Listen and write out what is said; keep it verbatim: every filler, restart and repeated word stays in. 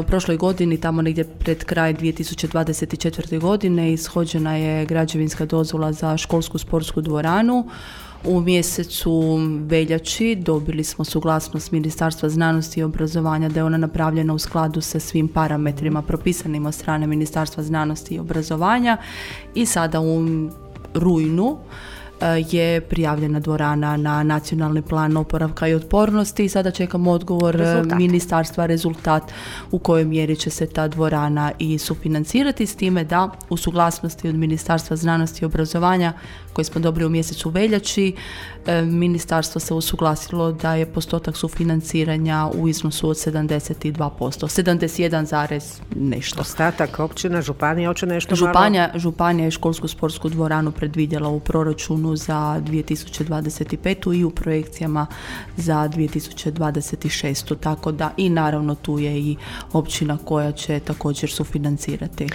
U prošloj godini, tamo negdje pred kraj dvije tisuće dvadeset četvrte. godine, ishođena je građevinska dozvola za školsku sportsku dvoranu. U mjesecu veljači dobili smo suglasnost Ministarstva znanosti i obrazovanja da je ona napravljena u skladu sa svim parametrima propisanim od strane Ministarstva znanosti i obrazovanja i sada u rujnu je prijavljena dvorana na nacionalni plan oporavka i otpornosti i sada čekamo odgovor rezultat. Ministarstva, rezultat u kojoj mjeri će se ta dvorana i sufinancirati, s time da u suglasnosti od Ministarstva znanosti i obrazovanja koje smo dobili u mjesecu veljači, ministarstvo se usuglasilo da je postotak sufinanciranja u iznosu od sedamdeset dva posto, sedamdeset jedan zarez nešto. Ostatak općina, županija, hoće nešto županija, malo? Županija je školsku sportsku dvoranu predvidjela u proračunu za dvije tisuće dvadeset petu. i u projekcijama za dvije tisuće dvadeset šestu. Tako da i naravno tu je i općina koja će također sufinancirati.